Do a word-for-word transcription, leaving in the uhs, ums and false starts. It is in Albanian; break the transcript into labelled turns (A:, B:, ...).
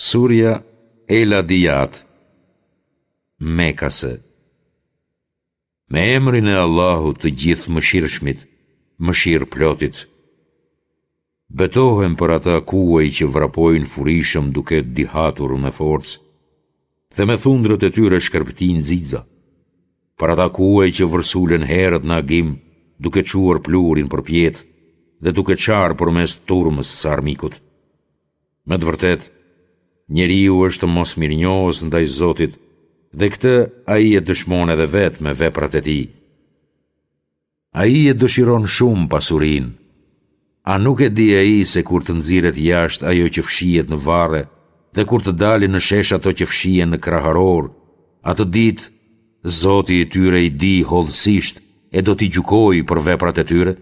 A: Surja El Adijat, Mekase. Me emrin e Allahut të Gjithëmëshirshmit, Mëshirëplotit. Betohem për ata kuaj që vrapojnë furishëm duke dihatur me forcë dhe me thundrët e tyre shkrepëtijnë xixa. Për ata kuaj që vërsulen herët në agim duke çuar pluhurin përpjetë dhe duke çarë përmes turmës së armikut. Me të vërtetë, njeriu është mosmirënjohës ndaj Zotit dhe këtë ai e dëshmon edhe vetë me veprat e tij. Ai e dëshiron shumë pasurinë. A nuk e di ai se kur të nxirret jashtë ajo që fshihet në varre dhe kur të dalin në shesh ato që fshihen në kraharor, atë ditë Zoti i tyre i di hollësisht e do t'i gjykojë për veprat e tyre?